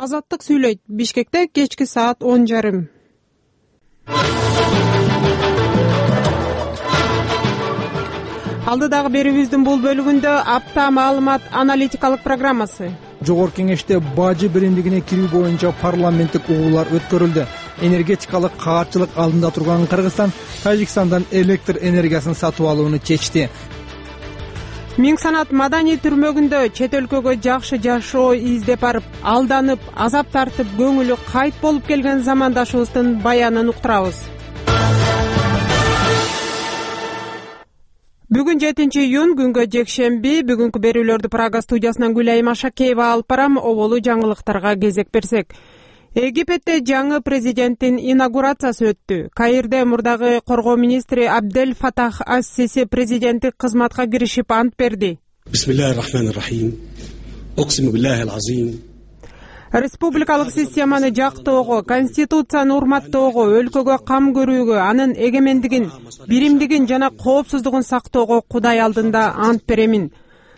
Азаттык сүйлөйт. Бишкекте кечки саат 10:30. Алдыдагы берүүбүздүн бул бөлүгүндө апта маалымат аналитикалык программасы. Жогорку кеңеште бажы биримдигине кирүү боюнча парламенттик угуулар өткөрүлдү. Энергетикалык каарчылык алдында турган Кыргызстан Тажикстандан электр энергиясын сатып алууну чечти. Миң санат маданий түрмөгүндө чет өлкөгө жакшы жашоо издеп барып, алданып, азап тартып, көңүлү кайт болуп келген замандашыбыздын баянын уктурабыз. Бүгүн 7-июнь күнгө жекшемби. Бүгүнкү берүүлөрдү Прага студиясынан Гүлайым Ашакеева алып барам. Оболу жаңылыктарга кезек берсек. Египетте жаңы президенттин инаугурациясы өттү. Каирде мурдагы коргоо министри Абдель Фатах ас-Сиси президенттик кызматка киришип ант берди. Бисмиллахир-рахманир-рахим. Оксиму биллахил азим. Республикалык системаны жактоого, конституцияны урматтоого, өлкөгө кам көрүүгө, анын эгемендигин, биримдигин жана коопсуздугун сактоого Кудай алдында ант беремин.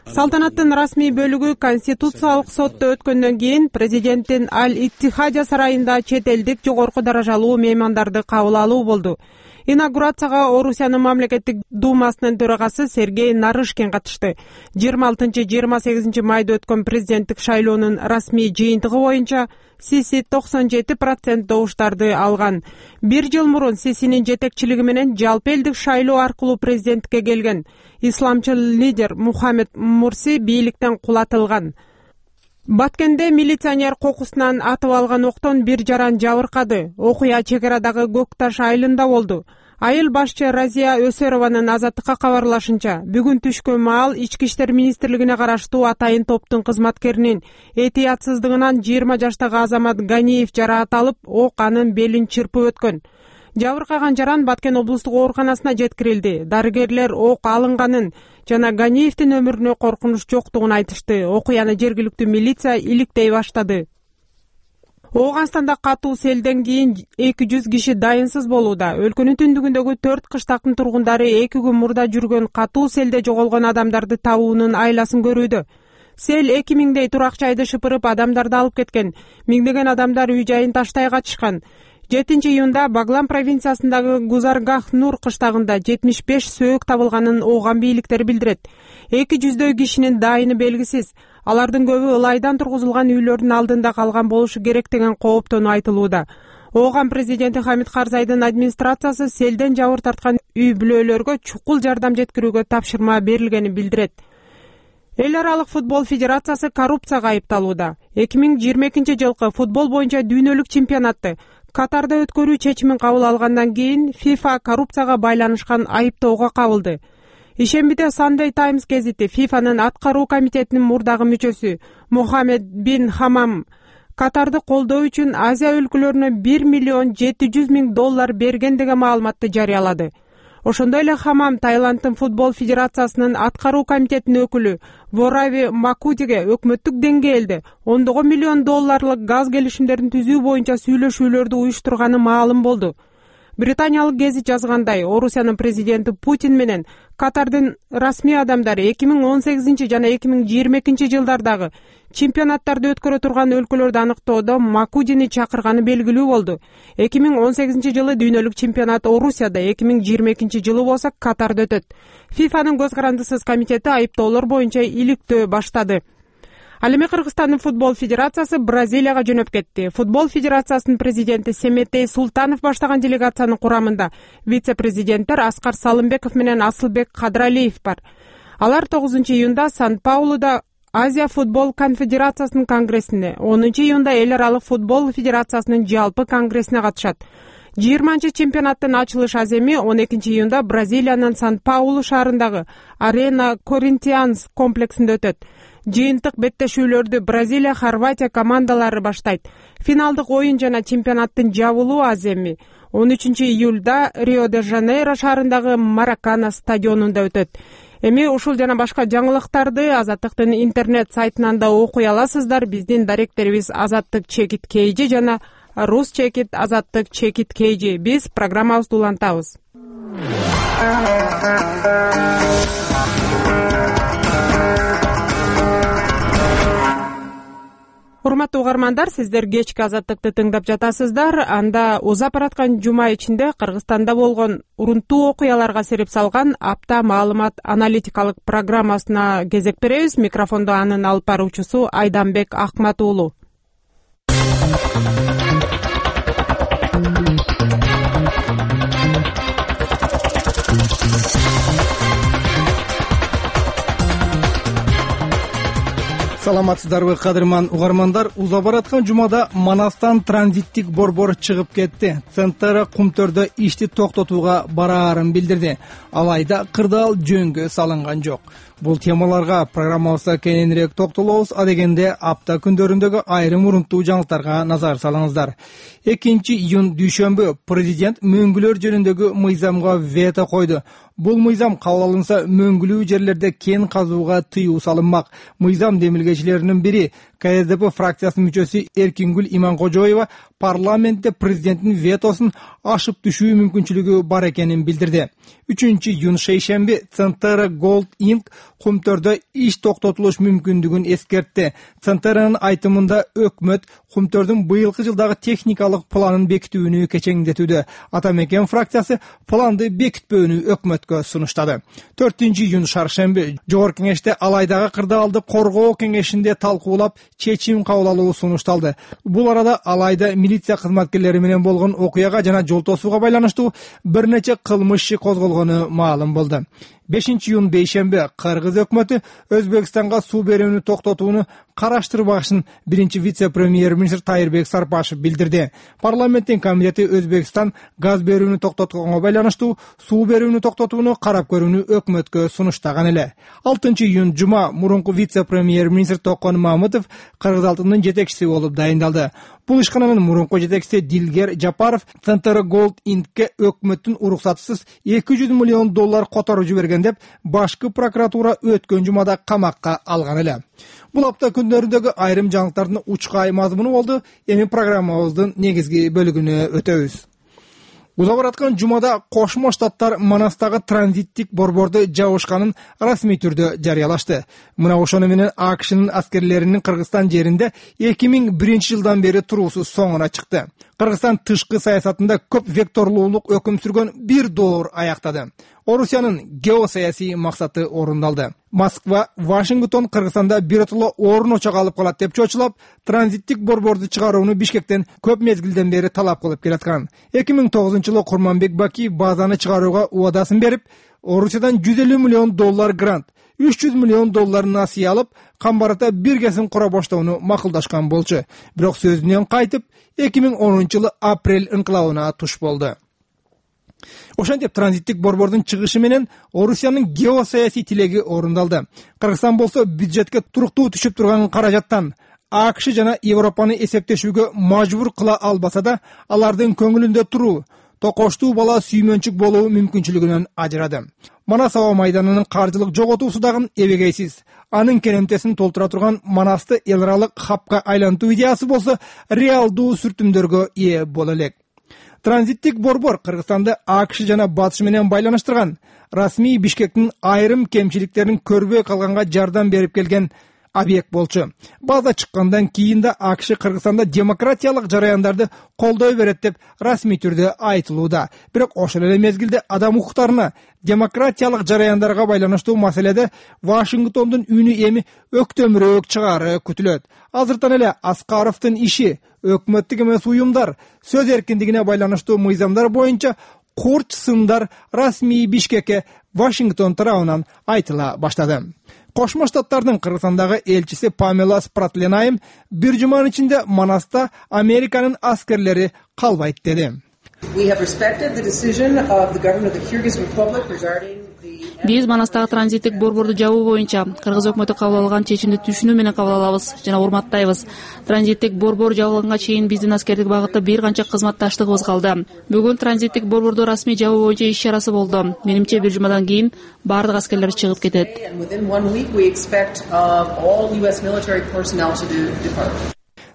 Салтанаттын расмий бөлүгү Конституциялык сотто өткөндөн кийин президенттин Аль-Иттихадия сарайында чет элдик жогорку даражалуу меймандарды кабыл алуу болду. Инаугурацияга Орусиянын мамлекеттик думасынын төрагасы Сергей Нарышкин катышты. 26-28 майда өткөн президенттик шайлоонун расмий жыйынтыгы боюнча Сиси 97% добуштарды алган. Бир жыл мурун Сисинин жетекчилиги менен жалпы элдик шайлоо аркылуу президенттикке келген исламчыл лидер Мухаммед Мурси бийликтен кулатылган. Баткенде милиционер кокусунан атып алган октон бир жаран жабыркады. Окуя чек арадагы Көкташ айылында болду. Айыл башчы Разия Өсөрованын Азаттыкка кабарлашынча, бүгүн түшкө маал Ички иштер министрлигине караштуу атайын топтун кызматкеринин этиятсыздыгынан 20 жаштагы Азамат Ганиев жараат алып, ок анын белин чырпып өткөн. Жабыркаган жаран Баткен облустук ооруканасына жеткирилди. Дарыгерлер ок алынганын жана Ганиевдин өмүрүнө коркунуч жоктугун айтышты. Окуяны жергиликтүү милиция иликтей баштады. Ооганстанда катуу селден кийин 200 киши дайынсыз болууда. Өлкөнүн түндүгүндөгү 4 кыштактын тургундары 2 күн мурда жүргөн катуу селде жоголгон адамдарды табуунун айласын көрүүдө. Сел 2000дей турак жайды шыпырып, адамдарды алып кеткен. Миңдеген адамдар үй жайын таштай качышкан. 7-июнда Баглан провинциясындагы Гузаргах-Нур кыштагында 75 сөөк табылганын ооган бийликтер билдирет. 200дөй кишинин дайыны белгисиз. Алардын көбү ылайдан тургузулган үйлөрдүн алдында калган болушу керек деген кооптонуу айтылууда. Ооган президенти Хамид Карзайдын администрациясы селден жабыр тарткан үй бүлөлөргө чукул жардам жеткирүүгө тапшырма берилгенин билдирет. Эл аралык футбол федерациясы коррупцияга айыпталууда. 2022 жылкы футбол боюнча дүйнөлүк чемпионатты Катарда өткөрүү чечимин кабыл алгандан кийин FIFA коррупцияга байланышкан айыптоого кабылды. Ишембиде Sunday Times гезити FIFAнын аткаруу комитетинин мурдагы мүчөсү Мухаммед бин Хамам Катарды колдоо үчүн Азия өлкөлөрүнө $1,700,000 берген деген маалыматты жарыялады. Ошондой эле Хамам Таиланддын футбол федерациясынын аткаруу комитетинин өкүлү Ворави Макудиге өкмөттүк деңгээлде $10 миллион газ келишимдерин түзүү боюнча сүйлөшүүлөрдү уюштурганы маалым болду. Британиялык гезит жазгандай, Орусиянын президенти Путин менен Катардын расмий адамдары 2018 жана 2022 жылдардагы чемпионаттарды өткөрө турган өлкөлөрдү аныктоодо Макудини чакырганы белгилүү болду. 2018 жылы дүйнөлүк чемпионат Орусияда, 2022 жылы болсо Катарда өтөт. FIFAнын көз карандысыз комитети айыптоолор боюнча иликтөө баштады. Ал эми Кыргызстандын футбол федерациясы Бразилияга жөнөп кетти. Футбол федерациясынын президенти Семетей Султанов баштаган делегациянын курамында вице-президенттер Аскар Салымбеков менен Асылбек Кадралиев бар. Алар 9-июнда Сан-Паулуда Азия футбол конфедерациясынын конгрессине, 10-июнда Эл аралык футбол федерациясынын жалпы конгрессине катышат. 20-чемпионаттын ачылыш аземи 12-июнда Бразилиянын Сан-Паулу шаарындагы Арена Коринтианс комплексинде өтөт. Жыйынтык беттешүүлөрдү Бразилия, Хорватия командалары баштайт. Финалдык оюн жана чемпионаттын жабылуу аземи 13-июлда Рио-де-Жанейро шаарындагы Маракана стадионунда өтөт. Эми ушул жана башка жаңылыктарды Азаттыктын интернет сайтынан да окуй аласыздар. Биздин даректерибиз Azattık_KG жана Rus_Azattık_KG. Биз программабызды улантабыз. Урматтуу угармандар, сиздер кечки Азаттыкты тыңдап жатасыздар. Анда узап бараткан жума ичинде Кыргызстанда болгон урунттуу окуяларга сереп салган апта маалымат аналитикалык программасына кезек беребиз. Микрофондо анын алып баруучусу Айданбек Акмат уулу. Саламатсыздарбы, кадырман угармандар? Узап бараткан жумада Манастан транзиттик борбор чыгып кетти. ЦНТР Кумтөрдө ишти токтотууга бараарын билдирди. Алайда кырдаал жөнгө салынган жок. Бул темаларга программабызда кененирээк токтолобуз. Адегенде апта күндөрүндөгү айрым урунттуу жаңылыктарга назар салыңыздар. 2-июнь дүйшөмбү президент мөңгүлөр жөнүндөгү мыйзамга вето койду. Бул мыйзам кабыл алынса, мөңгүлүү жерлерде кен казууга тыюу салынмак. Мыйзам демилгечилеринин бири КСДП фракциясынын мүчөсү Эркингүл Иманкожоева парламентте президенттин ветосун ашып түшүү мүмкүнчүлүгү бар экенин билдирди. 3-июнь шейшемби ЦНТР Gold Inc. Кумтөрдө иш токтотулуш мүмкүндүгүн эскертти. ЦНТРнын айтымында өкмөт Кумтөрдүн быйылкы жылдагы техникалык планын бекитүүнү кечеңдетүүдө. Атамекен фракциясы планды бекитпөөнү өкмөткө сунуштады. 4-июнь шаршемби Жогорку кеңеште Алайдагы кырдаалды коргоо кеңешинде талкуулап чечим кабыл алуу сунушталды. Бул арада Алайда милиция кызматкерлери менен болгон окуяга жана жол тосууга байланыштуу бир нече кылмыш иши козголгону маалым болду. 5-июнь бейшемби Кыргыз өкмөтү Өзбекстанга суу берүүнү токтотууну караштырбашын биринчи вице-премьер-министр Тайырбек Сарпашев билдирди. Парламенттин комитети Өзбекстан газ берүүнү токтотконго байланыштуу суу берүүнү токтотууну карап көрүүнү өкмөткө сунуштаган эле. 6-июнь жума мурунку вице-премьер-министр Токон Мамытов Кыргыз алтынынын жетекчиси болуп дайындалды. Бул ишкананын мурунку жетекчиси Дилгер Жапаров ЦНТР Gold Inc.ке өкмөттүн уруксатсыз $200 миллион которуп жиберген деп башкы прокуратура өткөн жумада камакка алган эле. Бул апта күндөрүндөгү айрым жаңылыктардын учкай мазмуну болду. Эми программабыздын негизги бөлүгүнө өтөбүз. Узап бараткан жумада Кошмо Штаттар Манастагы транзиттик борборду жабышканын расмий түрдө жарыялашты. Мына ошону менен АКШнын аскерлеринин Кыргызстан жеринде 2001 жылдан бери туруусу соңуна чыкты. Кыргызстан тышкы саясатында көп векторлуулук өкүм сүргөн бир доор аяктады. Орусиянын геосаясий максаты орундалды. Москва, Вашингтон Кыргызстанда биротоло орун очок алып калат деп чочулап, транзиттик борборду чыгарууну Бишкектен көп мезгилден бери талап кылып келаткан. 2009-жылы Курманбек Бакиев базаны чыгарууга убадасын берип, Орусиядан $150 миллион грант, $300 миллион насыя алып, камбарата биргесин кура баштоону макулдашкан болчу. Бирок сөзүнөн кайтып, 2010-жылы апрель инкылабына туш болду. Ошентип транзиттик борбордун чыгышы менен Орусиянын геосаясий тилеги орундалды. Кыргызстан болсо бюджетке туруктуу түшүп турган каражаттан АКШ жана Европаны эсептешүүгө мажбур кыла албаса да, алардын көңүлүндө туруу, токоштуу бала сүймөнчүк болуу мүмкүнчүлүгүнөн ажырады. Манас аба майданынын каржылык жоготуусу дагы эбегейсиз. Анын керемтесин толтура турган Манасты эл аралык хабка айлантуу идеясы болсо реалдуу сүртүмдөргө ээ боло элек. Транзиттик борбор Кыргызстанды АКШ жана Батыш менен байланыштырган, расмий Бишкектин айрым кемчиликтерин көрбөй калганга жардам берип келген объект болчу. База чыккандан кийин да АКШ Кыргызстанда демократиялык жараяндарды колдой берет деп расмий түрдө айтылууда. Бирок ошол эле мезгилде адам укуктарына, демократиялык жараяндарга байланыштуу маселеде Вашингтондун үнү эми өктөмүрөөк чыгаары күтүлөт. Азыртан эле Аскаровдун иши өкмөттүк эмес уюмдар сөз эркиндигине байланыштуу мыйзамдар боюнча курч сындар расмий Бишкекке Вашингтон тарабынан айтыла баштады. Кошмо Штаттардын Кыргызстандагы элчиси Памела Спратленайм бир жуманын ичинде Манаста Американын аскерлери калбайт деди. Биз Манастагы транзиттик борборду жабуу боюнча Кыргыз өкмөтү кабыл алган чечимди түшүнүү менен кабыл алабыз жана урматтайбыз. Транзиттик борбор жабылганга чейин биздин аскердик багытта бир канча кызматташтыгыбыз калды. Бүгүн транзиттик борборду расмий жабуу боюнча иш чарасы болду. Менимче бир жумадан кийин бардык аскерлер чыгып кетет.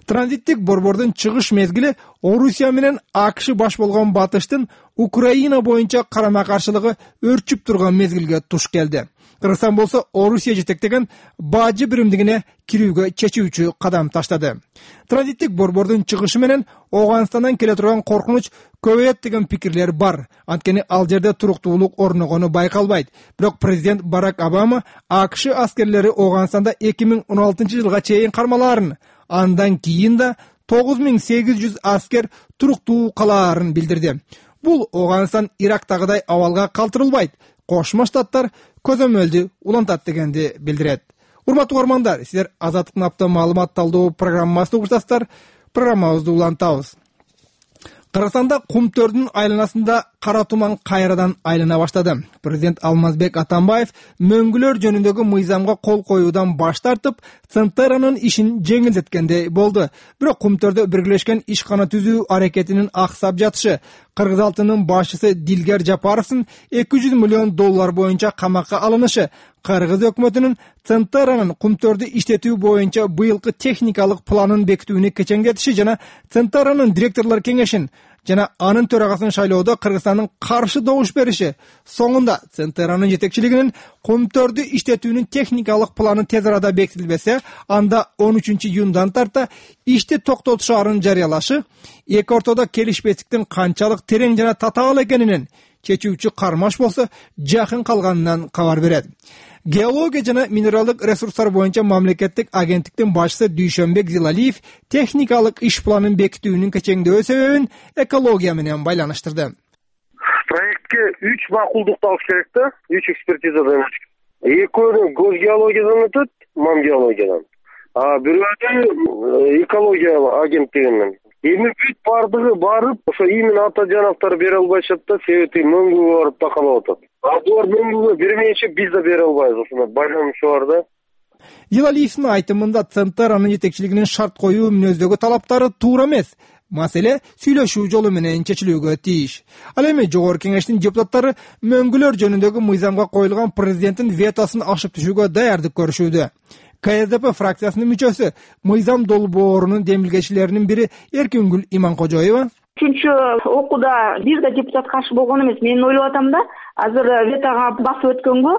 Транзиттик борбордун чыгыш мезгили Орусия менен АКШ баш болгон батыштын Украина боюнча карама каршылыгы өрчүп турган мезгилге туш келди. Кыргызстан болсо Орусия жетектеген бажы биримдигине кирүүгө чечүүчү кадам таштады. Транзиттик борбордун чыгышы менен Ооганстандан келе турган коркунуч көбөйөт деген пикирлер бар. Анткени ал жерде туруктуулук орногону байкалбайт. Бирок президент Барак Обама АКШ аскерлери Ооганстанда 2016-жылга чейин кармалаарын, андан кийин да 9800 аскер туруктуу калаарын билдирди. Бул Ооганстан Ирактагыдай абалга калтырылбайт. Кошмо Штаттар көзөмөлдү улантат дегенди билдирет. Урматтуу угармандар, сиздер Азаттыктын апта маалымат талдоо программасын угуштасыздар. Программабызды улантабыз. Кыргызстанда кумтөрдүн айланасында кара туман кайрадан айлана баштады. Президент Алмазбек Атамбаев мөңгүлөр жөнүндөгү мыйзамга кол коюудан баш тартып, Центеранын ишин жеңилдеткендей болду. Бирок кумтөрдө биргелешкен ишкана түзүү аракетинин аксап жатышы, Кыргыз алтынын башчысы Дилгер Жапаровдун $200 миллион боюнча камакка алынышы, Кыргыз өкмөтүнүн Центеранын кумтөрдү иштетүү боюнча быйылкы техникалык планын бекитүүнү кечеңдетиши жана Центеранын директорлор кеңешин жана анын төрагасын шайлоодо Кыргызстандын каршы добуш бериши, соңунда Центеранын жетекчилигинин кумтөрдү иштетүүнүн техникалык планы тез арада бекитилбесе, анда 13-июндан тарта ишти токтотушаарын жарыялашы, эки ортодо келишпестиктин канчалык терең жана татаал экенинен чечүүчү кармаш болсо жакын калганынан кабар берет. Геология жана минералдык ресурстар боюнча мамлекеттик агенттиктин башчысы Дүйшөнбек Зилалиев техникалык иш планын бекитүүнүн кечеңдөө себебин экология менен байланыштырды. Проектке 3 макулдукту алыш керек да, 3 экспертизадан. Экөөнү геологиядан өтөт, геологиядан. Бирөө экология агенттигинен. Эми бүт бардыгы барып, ошо именно Атажановдор бере албайшат да, себеби мөңгүгө барып такалап атат. Булар мөңгүгө бермейинче биз да бере албайбыз, ошондой байланышы бар да. Зилалиевдин айтымында Центеранын жетекчилигинин шарт коюу мүнөздөгү талаптары туура эмес. Маселе сүйлөшүү жолу менен чечилүүгө тийиш. Ал эми жогорку кеңештин депутаттары мөңгүлөр жөнүндөгү мыйзамга коюлган президенттин ветосун ашып түшүүгө даярдык көрүшүүдө. КСДП фракциясынын мүчөсү, мыйзам долбоорунун демилгечилеринин бири Эркингүл Иманкожоева: Үчүнчү окууда бир да депутат каршы болгон эмес. Мен ойлоп атам да, азыр ветага басып өткөнгө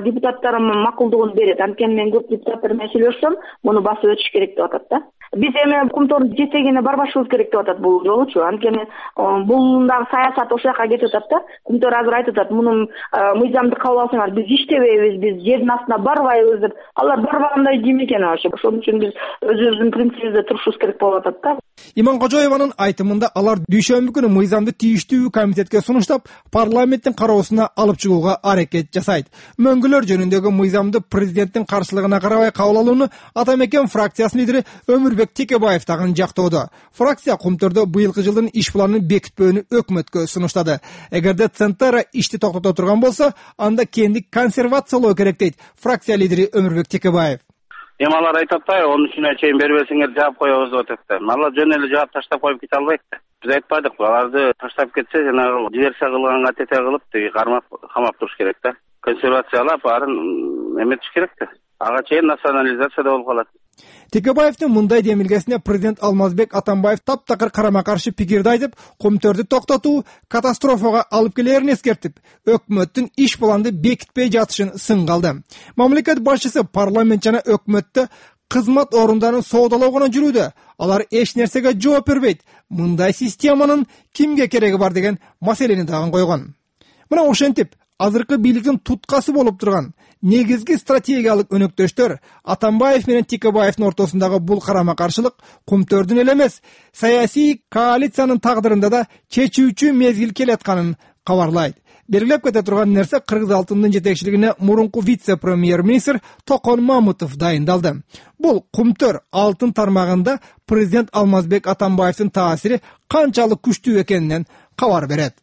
депутаттарым макулдугун берет. Анткени мен көп депутаттар менен сүйлөшсөм, муну басып өтүш керек деп атат да. Биз эми кумтордун жетегине барбашыбыз керек деп атат бул жолучу. Анткени бул дагы саясат ошол жака кетип атат да. Кумтор азыр айтып атат, мунун мыйзамды кабыл алсаңар, биз иштебейбиз, биз жердин астына барбайбыз деп. Алар барбагандай жим экен ошо. Ошон үчүн биз өзүбүздүн принцибибизде турушубуз керек болуп атат да. Иманкожоеванын айтымында алар дүйшөмбү күнү мыйзамды тийиштүү комитетке сунуштап, парламенттин кароосуна алып чыгууга аракет жасайт. Мөңгүлөр жөнүндөгү мыйзамды президенттин каршылыгына карабай кабыл алууну Атамекен фракциясынын лидери Өмүрбек Текебаев дагы жактоодо. Фракция кумтөрдө быйылкы жылдын иш планын бекитпөөнү өкмөткө сунуштады. Эгерде Центера ишти токтото турган болсо, анда кээинди консервациялоо керек дейт фракция лидери Өмүрбек Текебаев. Эми алар айтып атпайбы, 13-үнө чейин бербесеңер жаап коебуз деп атат. Алар жөн эле жаап таштап коюп кете албайт да. Биз айтпадык, аларды таштап кетсе, жанагы диверсия кылганга тете кылып, кармап камап туруш керек да. Консервациялап, арын эметиш керек да. Ага чейин национализация болуп калат. Текебаевдин мындай демилгесине президент Алмазбек Атамбаев таптакыр карама-каршы пикирди айтып, кумтөрдү токтотуу катастрофага алып келерин эскертип, өкмөттүн иш планды бекитпей жатышын сынга алды. Мамлекет башчысы парламент жана өкмөттө кызмат орундарын соодалоого жүрүүдө. Алар эч нерсеге жооп бербейт. Мындай системанын кимге кереги бар деген маселени дагы койгон. Мына ошентип, азыркы бийликтин туткасы болуп турган негизги стратегиялык өнөктөштөр Атамбаев менен Текебаевдин ортосундагы бул карама-каршылык кумтөрдүн эле эмес, саясий коалициянын тагдырында да чечүүчү мезгил келатканын кабарлайт. Белгилеп кете турган нерсе, Кыргыз алтынынын жетекчилигине мурунку вице-премьер-министр Токон Мамытов дайындалды. Бул кумтөр алтын тармагында президент Алмазбек Атамбаевдин таасири канчалык күчтүү экенинен кабар берет.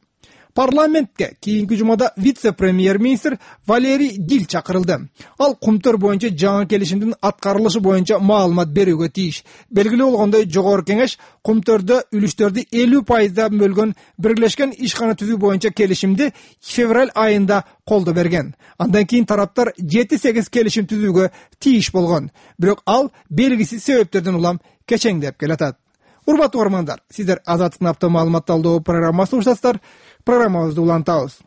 Парламентке кийинки жумада вице-премьер-министр Валерий Дил чакырылды. Ал кумтөр боюнча жаңы келишимдин аткарылышы боюнча маалымат берүүгө тийиш. Белгилүү болгондой, жогорку кеңеш кумтөрдө үлүштөрдү 50% бөлгөн биргелешкен ишкана түзүү боюнча келишимди февраль айында колдо берген. Андан кийин тараптар 7-8 келишим түзүүгө тийиш болгон. Бирок ал белгисиз себептерден улам кечеңдеп келатат. Урматтуу угармандар, сиздер Азаттыктын апта маалымат талдоо программасын угушасыздар. Программабызды улантабыз.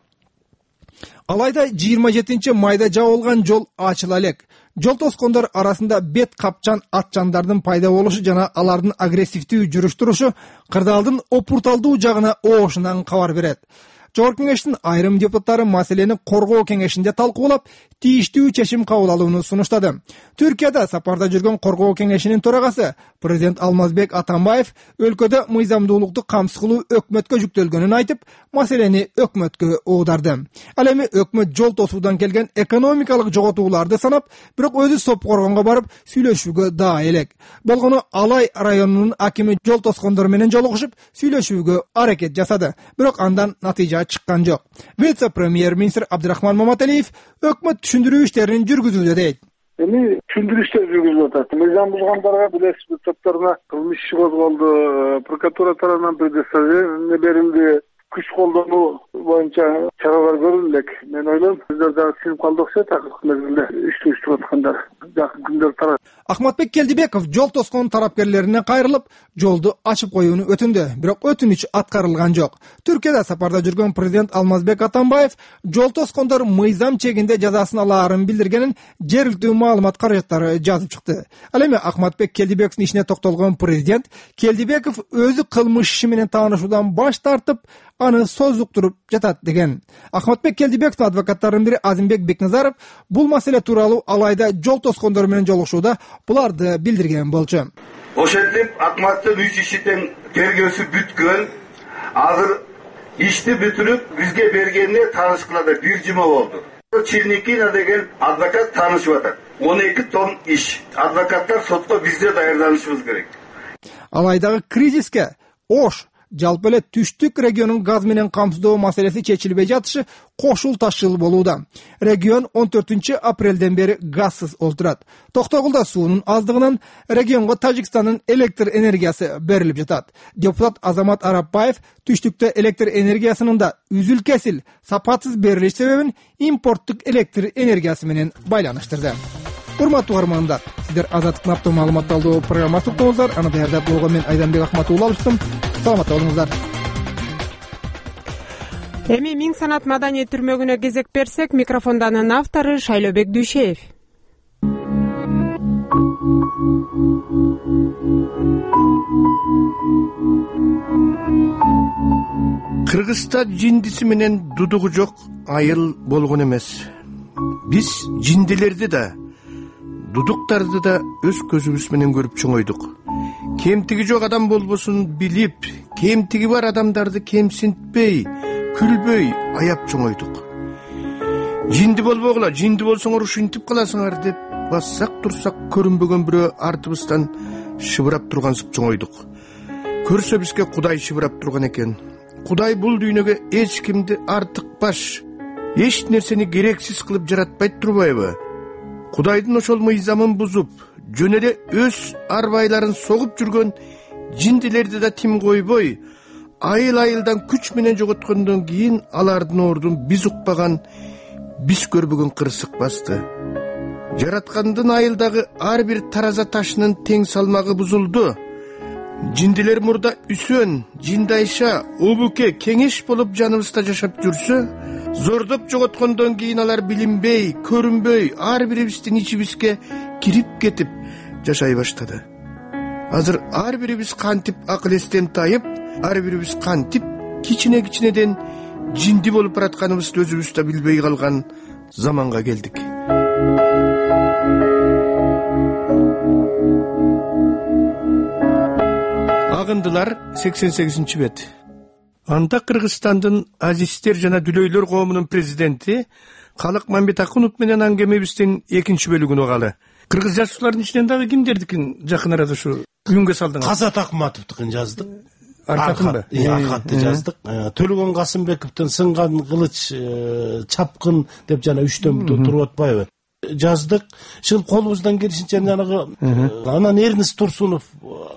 Алайда 27 майда жабылган жол ачыла элек. Жол тоскондор арасында бет капчан атчандардын пайда болушу жана алардын агрессивдүү жүрүш турушу кырдаалдын опурталдуу жагына оошунан кабар берет. Жогорку кеңештин айрым депутаттары маселени коргоо кеңешинде талкуулап, тийиштүү чечим кабыл алууну сунуштады. Түркияда сапарда жүргөн коргоо кеңешинин төрагасы президент Алмазбек Атамбаев өлкөдө мыйзамдуулукту камсыз кылуу өкмөткө жүктөлгөнүн айтып, маселени өкмөткө оодарды. Ал эми өкмөт жол тосуудан келген экономикалык жоготууларды санап, бирок өзү соп коргонго барып сүйлөшүүгө даа элек. Болгону Алай районунун акими жол тоскондор менен жолугушуп, сүйлөшүүгө аракет жасады. Бирок андан натыйжа чыккан жок. Вице-премьер-министр Абдырахман Маматалиев өкмөт түшүндүрүү иштерин жүргүзүүдө дейт. Эми түшүндүрүү иштери жүргүзүлүп атат. Мыйзам бузгандарга билесиз, топторуна кылмыш иши козголду, прокуратура тарабынан предоставление берилди. Күч колдонуу боюнча чаралар көрүлдү элек. Мен ойлойм, сиздер дагы синип калды окшойт, акыркы мезгилде иштеп аткандар. Жакын күндөр тарат. Ахматбек Келдибеков жол тоскон тарапкерлерине кайрылып, жолду ачып коюуну өтүндү, бирок өтүнүч аткарылган жок. Түркияда сапарда жүргөн президент Алмазбек Атамбаев жол тоскондор мыйзам чегинде жазасын алаарын билдиргенин жергиликтүү маалымат каражаттары жазып чыкты. Ал эми Ахматбек Келдибековдун ишине токтолгон президент Келдибеков өзү кылмыш иши менен таанышуудан баш тартып, аны созуктуруп жатат деген. Ахматбек Келдибековдун адвокаттарынын бири Азимбек Бекназаров бул маселе тууралуу Алайда жол тоскондор менен жолугушууда буларды билдирген болчу. Ошентип Акматтын 3 ишитен тергөөсү бүткөн. Азыр ишти бүтүрүп бизге бергенине таанышкылада 1 жума болду. Черникина деген адвокат таанышып атат. 12 том иш. Адвокаттар сотко бизде даярданышыбыз керек. Алайдагы кризиске Ош жалпы эле түштүк регионун газ менен камсыздоо маселеси чечилбей жатышы кошул ташыл болууда. Регион 14 апрелден бери газсыз олтурат. Токтогулда суунун аздыгынан регионго Тажикстандын электр энергиясы берилип жатат. Депутат Азамат Арапбаев түштүктө электр энергиясынын да үзүл-кесил, сапатсыз берилиш себебин импорттук электр энергиясы менен байланыштырды. Урматтуу угармандар, сиздер Азаттыктын апта маалымат талдоо программасын уктуңуздар. Аны даярдап болгон мен Айданбек Акматуулла алыштым. Саламатта болуңуздар. Эми Миң санат маданият түрмөгүнө кезек берсек, микрофондонун автору Шайлообек Дүйшеев. Кыргызста жиндиси менен дудугу жок айыл болгон эмес. Биз жиндилерди да, дудуктарды да өз көзүбүз менен көрүп чоңойдук. Кемтиги жок адам болбосун билип, кемтиги бар адамдарды кемсинтпей, күлбөй аяп чоңойдук. Жинди болбогула, жинди болсоңор ушинтип каласыңар деп бассак турсак көрүнбөгөн бирөө артыбыздан шыбырап тургансып чоңойдук. Көрсө бизге Кудай шыбырап турган экен. Кудай бул дүйнөгө эч кимди артыкпаш, эч нерсени керексиз кылып жаратпайт турбайбы? Кудайдын ошол мыйзамын бузуп, жөн эле өз арбайларын согуп жүргөн жиндилерди да тим койбой, айыл-айылдан күч менен жоготкондон кийин алардын ордун биз укпаган, биз көрбөгөн кырсык басты. Жараткандын айылдагы ар бир тараза ташынын тең салмагы бузулду. Жиндилер мурда Үсөн, Жиндайша, Обуке, Кеңеш болуп жаныбызда жашап жүрсө, зордоп жоготкондон кийин алар билинбей, көрүнбөй, ар бирибиздин ичибизге кирип кетип жашай баштады. Азыр ар бирибиз кантип акыл эстен тайып, ар бирибиз кантип кичине-кичинеден жинди болуп баратканыбызды өзүбүз да билбей калган заманга келдик. Агындылар 88 бет. Анда Кыргызстандын азиздер жана дүлөйлөр коомунун президенти Калык Мамбетакунов менен аңгемебиздин экинчи бөлүгүн угалы. Кыргыз жазуучулардын ичинен дагы кимдердикин жакын арада ушу күнгө салдыңыз? Казат Акматовдукун жаздык. аркатынбы? Аркатты жаздык. Төлөгөн Касымбековдун Сынган кылыч чапкын деп жана 3төн туруп атпайбы? Жаздык. Шыл колубуздан келишинче жанагы анан Эрнест Турсунов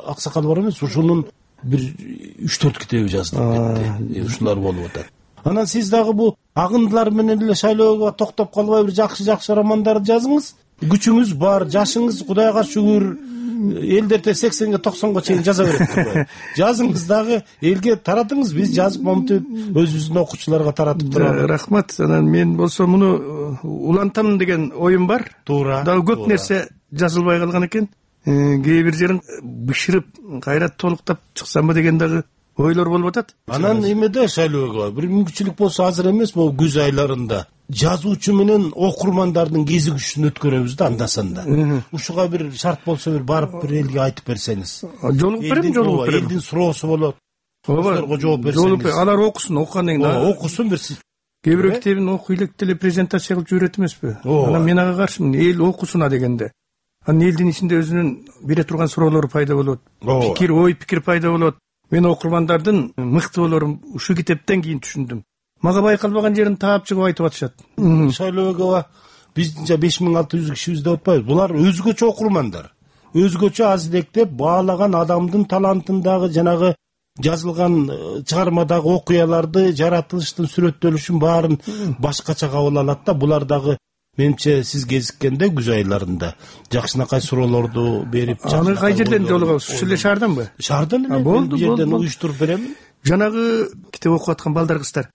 аксакал бар эмес, ушунун бир 3-4 китеби жаздык кетти. Ушулар болуп атат. Анан сиз дагы бул агындылар менен эле шайлоого токтоп калбай бир жакшы романдарды жазыңыз. Күчүңүз бар, жашыңыз Кудайга шүгүр, элдерде 80-ге 90-га чейин жаза берет. Жазыңыз дагы элге таратыңыз, биз жазып момунтип өзүбүздүн окуучуларга таратып турабыз. Рахмат. Анан мен болсо муну улантам деген оюм бар. Туура. Дагы көп нерсе жазылбай калган экен. Кээ бир жерин бышырып, кайра толуктап чыксамбы деген дагы ойлор болуп атат. Анан эмеде шайлоого бир мүмкүнчүлүк болсо азыр эмес, могу күз айларында жазуучу менен окурмандардын кезигишин өткөрөбүз да анда-санда. Ушуга бир шарт болсо бир барып бир элге айтып берсеңиз. Жолугуп берем. Элдин суроосу болот. Ооба, жооп берсеңиз. Алар окуsun, окугандан кийин. Окуsun бир. Кээ бирөө китебин окуй элек деле презентация кылып жиберет эмеспи? Анан мен ага каршымын. Эл окусуна дегенде. Анан элдин ичинде өзүнүн бере турган суроолору пайда болот. Пикир пайда болот. Мен окурмандардын мыкты болорун ушу китептен кийин түшүндүм. Мага байкалбаган жерин таап чыгып айтып атышат. Шайлоого биздинче 5600 кишибиз деп атпайбыз. Булар өзгөчө окурмандар. Өзгөчө азилектеп баалаган адамдын талантындагы жанагы жазылган чыгармадагы окуяларды, жаратылыштын сүрөттөлүшүн баарын башкача кабыл алат да. Булар дагы менимче сиз кезиккенде күз айларында жакшынакай суроолорду берип, аны кай жерден жолугабыз? Ушул эле шаарданбы? Шаардан эле. Болду, жерден уюштуруп берем. Жанагы китеп окуп аткан балдар кыздар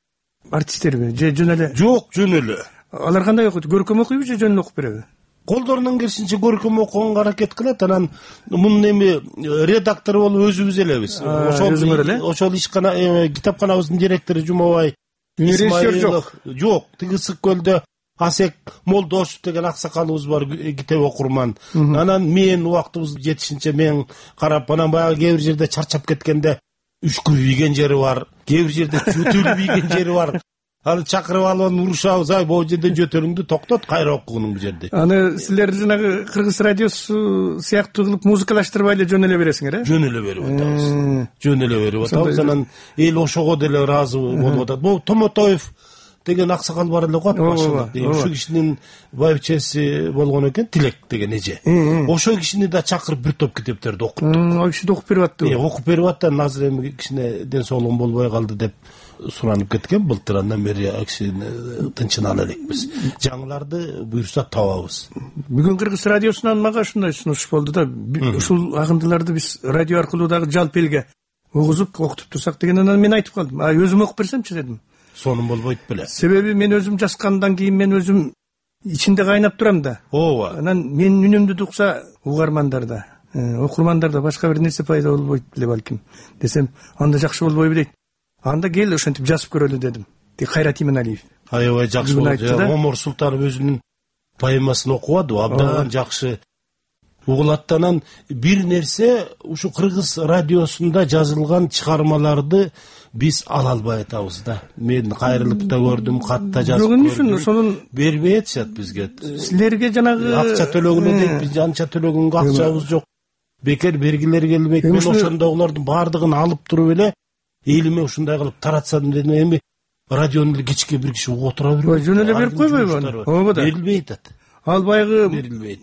артисттерби же жөн эле? Жок, жөн эле. Алар кандай окуйт? Көркөм окуйбу же жөн эле окуп береби? Колдорунан келишинче көркөм окуганга аракет кылат. Анан мунун эми редактору болуп өзүбүз элебиз. Ошол ишкана китапканабыздын директору Жумабай Исмаилов. Жок, тиги Ысык көлдө Асек Молдошев деген аксакалыбыз бар, китеп окурман. Анан мен убактыбыз жетишинче мен карап, анан баягы кээ бир жерде чарчап кеткенде үшкү ийген жери бар, кээ бир жерде жөтөлүп ийген жери бар. Аны чакырып алып урушабыз, ай могу жерде жөтөлүңдү токтот, кайра окугуну бу жерде. Аны силер жанагы Кыргыз радиосу сыяктуу кылып музыкалаштырбай эле жөн эле бересиңер, э? Жөн эле берип атабыз. Жөн эле берип атабыз. Анан эл ошого деле ыраазы болуп атат. Бул Томотоев деген аксакал бар эле го башында. Ушу кишинин байбичеси болгон экен, Тилек деген эже. Ошол кишини да чакырып бир топ китептерди окуттук. Ал киши да окуп берип аттыбы? Окуп берип аттан азыр эми кичине ден соолугу болбой калды деп суранып кеткен. Былтыр андан бери кишини тынчына элекпиз. Жаңыларды буйрса табабыз. Бүгүн Кыргыз радиосунан мага ушундай сунуш болду да, ушул агындыларды биз радио аркылуу дагы жалпы элге угузуп окутуп турсак дегенден мен айтып калдым. Өзүм окуп берсемчи дедим. Сонун болбойт беле. Себеби мен өзүм жазгандан кийин мен өзүм ичинде кайнап турам да. Ооба. Анан мен үнүмдү укса угармандарда, окурмандарда башка бир нерсе пайда болбойт беле балким десем, анда жакшы болбойбу дейт. Анда кел ошентип жазып көрөлү дедим. Кайрат Иманалиев. Аябай жакшы болду. Омор Султанов өзүнүн поэмасын окубады, абдан жакшы угулат. Анан бир нерсе ушу Кыргыз радиосунда жазылган чыгармаларды биз ала албай атабыз да. Мен кайрылып да көрдүм, кат да жазып көрдүм. Сонун бербей атышат бизге. Силерге жанагы акча төлөгүнө дейт, биз анча төлөгөнгө акчабыз жок. Бекер бергилер келбейт. Мен ошондогулардын баардыгын алып туруп эле элиме ушундай кылып таратсам дедим. Эми радиону кечке бир киши угуп отура бербейт. Жөн эле берип койбойбу? Ооба да. Берилбей атат. Ал баягы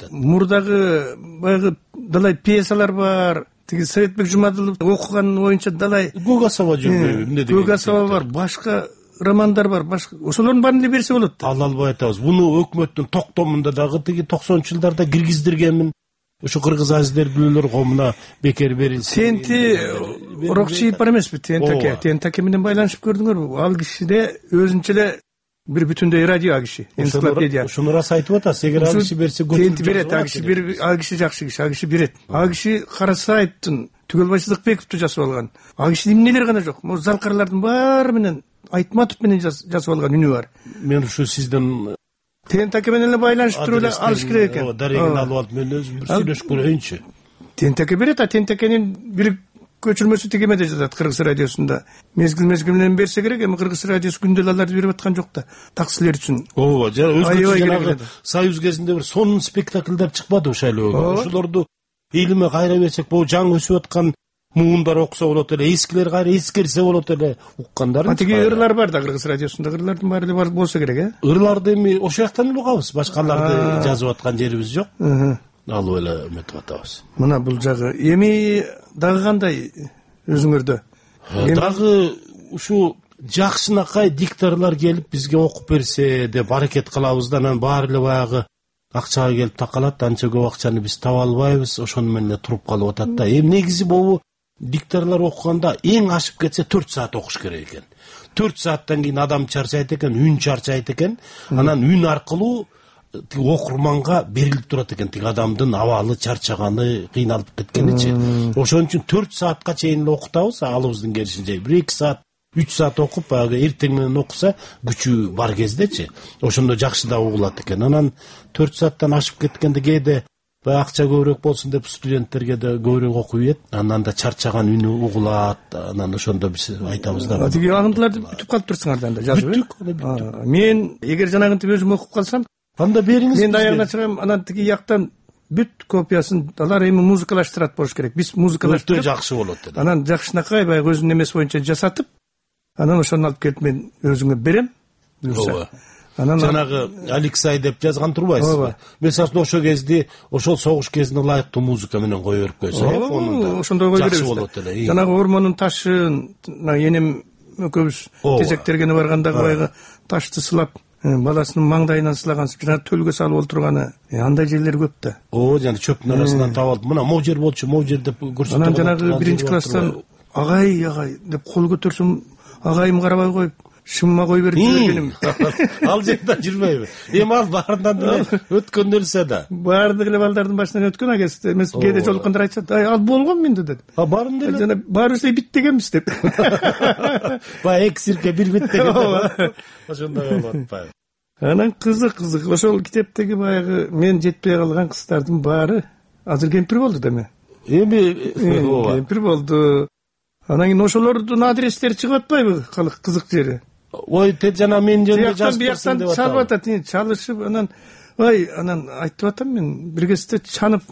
мурдагы баягы далай пьесалар бар. Тиги Советбек Жумадылов окуган боюнча далай Гугасова жүрбөйбү? Эмне деген? Гугасова бар, башка романдар бар, башка. Ошолордун баарын эле берсе болот. Ала албай атабыз. Буну өкмөттүн токтомунда дагы тиги 90-чы жылдарда киргиздиргенмин. Ушу Кыргыз азиздер билүүлөр коомуна бекер берилсин. Тенти Орокчиев бар эмеспи? Тентаке менен байланышып көрдүңөрбү? Ал кишиде өзүнчө эле бир бүтүндөй радио киши, энциклопедия. Ушуну рас айтып атасыз. Эгер ал киши берсе Тенти берет, ал киши жакшы киши, ал киши берет. Ал киши Карасаевдин, Түгөлбай Сыдыкбековду жасап алган. Ал кишинин эмнелери гана жок. Могу Залкарлардын баары менен Айтматов менен жасап алган үнү бар. Мен ушу сизден Тентаке менен эле байланышып туруп эле алыш керек экен. Дарегин алып алып мен өзүм бир сүйлөшүп көрөйүнчү. Тентаке берет, Тентакенин бир көчүрмөсү тигемеде жатат Кыргыз радиосунда. Мезгил менен берсе керек, эми Кыргыз радиосу күндө аларды берип аткан жок да. Таксилер үчүн. Ооба, жанагы Союз кезинде бир сонун спектакльдер чыкпады шайлоого. Ошолорду элиме кайра берсек, бул жаңы өсүп аткан муундар окуса болот эле, эскилер кайра эскерсе болот эле, уккандар. Тиги ырлар бар да Кыргыз радиосунда, ырлардын баары эле болсо керек, Ырларды эми ошол жактан эле угабыз, башкаларды жазып аткан жерибиз жок. Алып эле эметип атабыз. Мына бул жагы. Эми дагы кандай өзүңөрдө? Дагы ушу жакшынакай дикторлор келип бизге окуп берсе деп аракет кылабыз да, анан баары эле баягы акчага келип такалат, анча көп акчаны биз таба албайбыз, ошону менен эле туруп калып атат да. Эми негизи могу дикторлор окуганда эң ашып кетсе 4 саат окуш керек экен. 4 сааттан кийин адам чарчайт экен, үн чарчайт экен. Анан үн аркылуу тиги окурманга берилип турат экен, тиги адамдын абалы, чарчаганы, кыйналып кеткеничи. Ошон үчүн 4 саатка чейин эле окутабыз, алыбыздын келишинче. 1-2 саат, 3 саат окуп, баягы эртең менен окуса, күчү бар кездечи. Ошондо жакшы да угулат экен. Анан 4 сааттан ашып кеткенде кээде баягы акча көбүрөөк болсун деп студенттерге да көбүрөөк окуй бет. Анан да чарчаган үнү угулат. Анан ошондо биз айтабыз да. Тиги агындыларды бүтүп калып турсуңар да жазып. Бүттүк. Мен эгер жанагынтип өзүм окуп калсам, анда бериңиз. Мен аягына чыгам, анан тиги жактан бүт копиясын алар эми музыкалаштырат болуш керек. Биз музыкалаштырып жакшы болот деп. Анан жакшынакай баягы өзүнүн эмеси боюнча жасатып, анан ошону алып келип мен өзүңө берем. Анан жанагы Алексей деп жазган турбайсызбы? Мисалы ошол кезде, ошол согуш кезине ылайыктуу музыка менен кое берип койсо, фонунда. Ошондой кое беребиз. Жакшы болот эле. Жанагы ормондун ташын, энем экөөбүз тезектергени баргандагы баягы ташты сылап, баласынын маңдайынан сылаган, жана төлгө салып олтурганы, андай жерлер көп да. Жана чөптүн арасынан таап алып, мына могу жер болчу, могу жер деп көрсөтүп. Анан жанагы 1-класстан агай деп кол көтөрсөм, агайым карабай коюп, шымма кой берип жибергеним. Ал жерде жүрбөйбү? Эми ал баарынан деле өткөн нерсе да. Баардык эле балдардын башынан өткөн агес эмес, кээде жолуккандар айтышат, ал болгон менде деп. Баарын деле. Жана баарыбыз бит дегенбиз деп. Баягы эки сирке бир бит деген. Ошондой болуп атпайбы? Анан кызык. Ошол китептеги баягы мен жетпей калган кыздардын баары азыр кемпир болду деме. Эми кемпир болду. Анан кийин ошолордун адрестери чыгып атпайбы? Кызык жери. Ой, жана мен жөнүндө жазып берсин деп атат. Чалып атат, чалышып, анан айтып атам мен, бир кезде чанып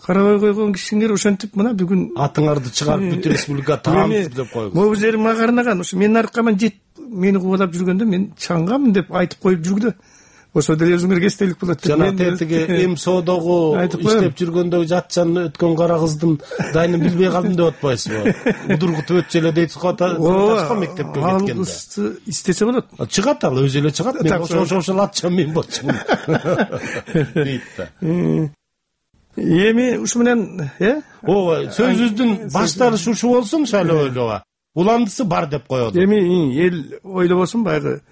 карабай койгон кишиңер ошентип мына бүгүн атыңарды чыгарып бүт республика таамсыз деп койгуз. Могу жери мага арнаган, ошо менин аркаман мени кубалап жүргөндө мен чаңгам деп айтып коюп жүрдү. Ошо деле өзүңөргө эстелик болот. Жана тетиги МСОдогу иштеп жүргөндө жатчан өткөн кара кыздын дайынын билбей калдым деп атпайсызбы? Удургутуп өтчү эле дейт го мектепке кеткенде. Ал кызды истесе болот. Чыгат ал, өзү эле чыгат. Мен ошол атчам мен болчумун. Дейт да. Эми ушу менен, ооба, сөзүбүздүн башталышы ушу болсун, шайлоо ойлоого. Уландысы бар деп коет. Эми эл ойлобосун баягы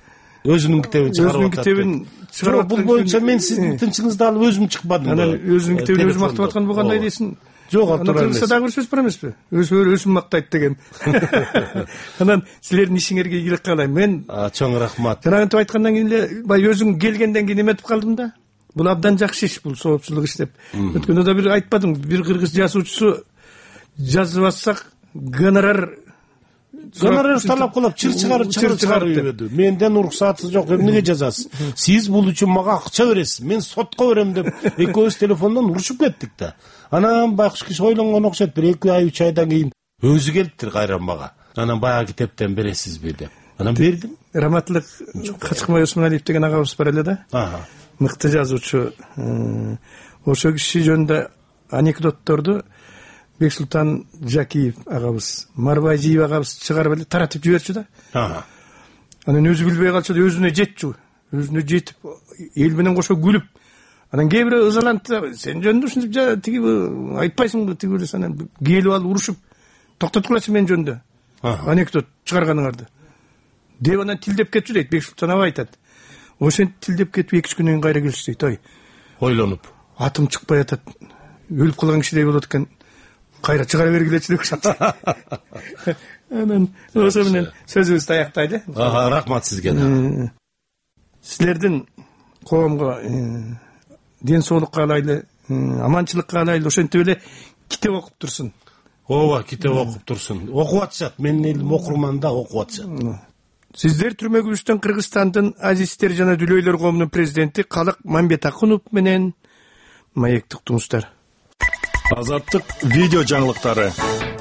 өзүнүн китебин чыгарып атат. Жок, бул боюнча мен сиздин тынчыңызды алып өзүм чыкпадым. Анан өзүнүн китебин өзү мактап аткан болгондой дейсиң. Жок, атыра элес. Дагы бир сөз бар эмеспи? Өзүн мактайт деген. Анан силердин ишиңерге ийгилик каалайм. Мен чоң рахмат. Жанагынтип айткандан кийин эле баягы өзүң келгенден кийин эметип калдым да. Бул абдан жакшы иш, бул соопчулук иш деп. Өткөндө да бир айтпадым, бир кыргыз жазуучусу жазып атсак гонорар талап кылып чыр чыгарып менден уруксаты жок, эмнеге жазасыз? Сиз бул үчүн мага акча бересиз, мен сотко берем деп экөөбүз телефондон урушуп кеттик да. Анан байкуш киши ойлонгон окшойт, бир 2 ай 3 айдан кийин өзү келиптир кайра мага. Анан баягы китептен бересизби деп. Анан бердим. Раматтылык Качкмай Осмоналиев деген агабыз бар эле да. Мыкты жазуучу. Ошол киши жөнүндө анекдотторду Бексултан Жакиев агабыз, Марбайжиев агабыз чыгарып эле таратып жиберчү да. Анан өзү билбей калчу, өзүнө жетчү. Өзүнө жетип, эл менен кошо күлүп. Анан кээ бирөө ызаланты, сен жөнүндө ушинтип тиги айтпайсыңбы, тиги эле анан келип алып урушуп, токтоткулачы мен жөнүндө. Анекдот чыгарганыңарды. Деп анан тилдеп кетчү дейт, Бексултан аба айтат. Ошентип тилдеп кетип 2-3 күндөн кийин кайра келишти дейт, ой. Ойлонуп. Атым чыкпай атат. Өлүп калган кишидей болот экен. Кайра чыгара бергилечи деп. Анан ошо менен сөзүбүздү аяктайлы. Рахмат сизге да. Силердин коомго ден соолук каалайлы, аманчылык каалайлы, ошентип эле китеп окуп турсун. Ооба, китеп окуп турсун. Окуп атышат, менин элим окурман да окуп атышат. Сиздер түрмөгүбүздөн Кыргызстандын азиздер жана дүлөйлөр коомунун президенти Калык Мамбетакунов менен маектик туңуздар. Азаттык видео жаңылыктары.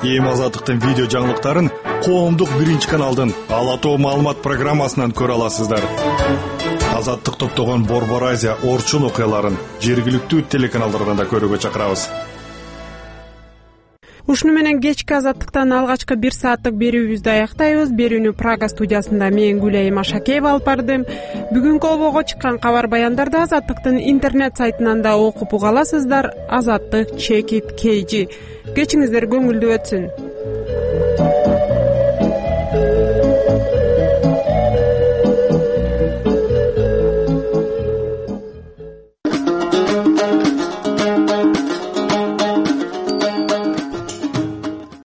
Эми Азаттыктын видео жаңылыктарын коомдук биринчи каналдын Ала тоо маалымат программасынан көрө аласыздар. Азаттык топтогон Борбор Азия орчун окуяларын жергиликтүү телеканалдардан да көрүүгө чакырабыз. Ушуну менен кечки Азаттыктан алгачкы 1 сааттык берүүбүздү аяктайбыз. Берүүнү Прага студиясында мен Гүлайым Ашакеева алып бардым. Бүгүнкү обого чыккан кабар баяндарды Азаттыктын интернет сайтынан да окуп уга аласыздар. Азаттык #KG. Кечиңиздер көңүлдүү өтсүн.